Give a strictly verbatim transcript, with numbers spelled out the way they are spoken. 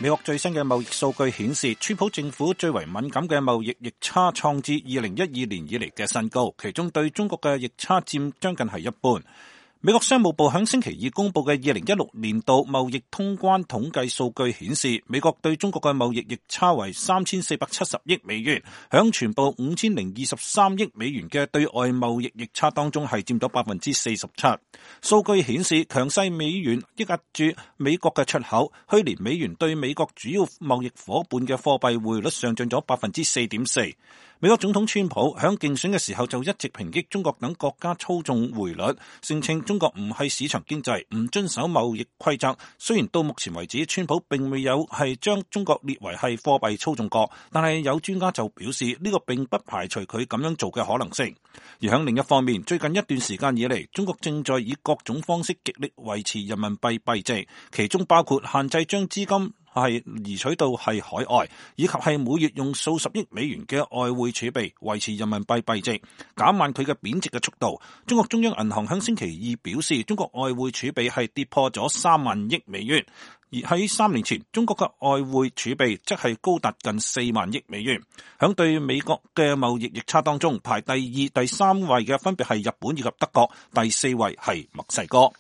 美國最新嘅貿易數據顯示，川普政府最為敏感嘅貿易逆差創至二零一二年以嚟嘅新高，其中對中國嘅逆差佔將近係一半。美國商務部喺星期二公布嘅二零一六年度貿易通關統計數據顯示，美國對中國嘅貿易逆差為三千四百七十億美元，響全部五千零二十三億美元嘅對外貿易逆差當中係佔咗百分之四十七。數據顯示，強勢美元抑壓住美國嘅出口，去年美元對美國主要貿易夥伴嘅貨幣匯率上漲咗百分之四點四。美國總統川普響競選嘅時候就一直抨擊中國等國家操縱匯率，聲稱中國唔係市場經濟，唔遵守貿易規則。雖然到目前為止，川普並未有係將中國列為係貨幣操縱國，但係有專家就表示呢個並不排除佢咁樣做嘅可能性。而響另一方面，最近一段時間以嚟，中國正在以各種方式極力維持人民幣幣值，其中包括限制將資金係移取到係海外，以及係每月用數十億美元嘅外匯儲備維持人民幣幣值，減慢佢嘅貶值嘅速度。中國中央銀行喺星期二表示，中國外匯儲備係跌破咗三萬億美元，而喺三年前，中國嘅外匯儲備則係高達近四萬億美元。響對美國嘅貿易逆差當中，排第二、第三位嘅分別係日本以及德國，第四位係墨西哥。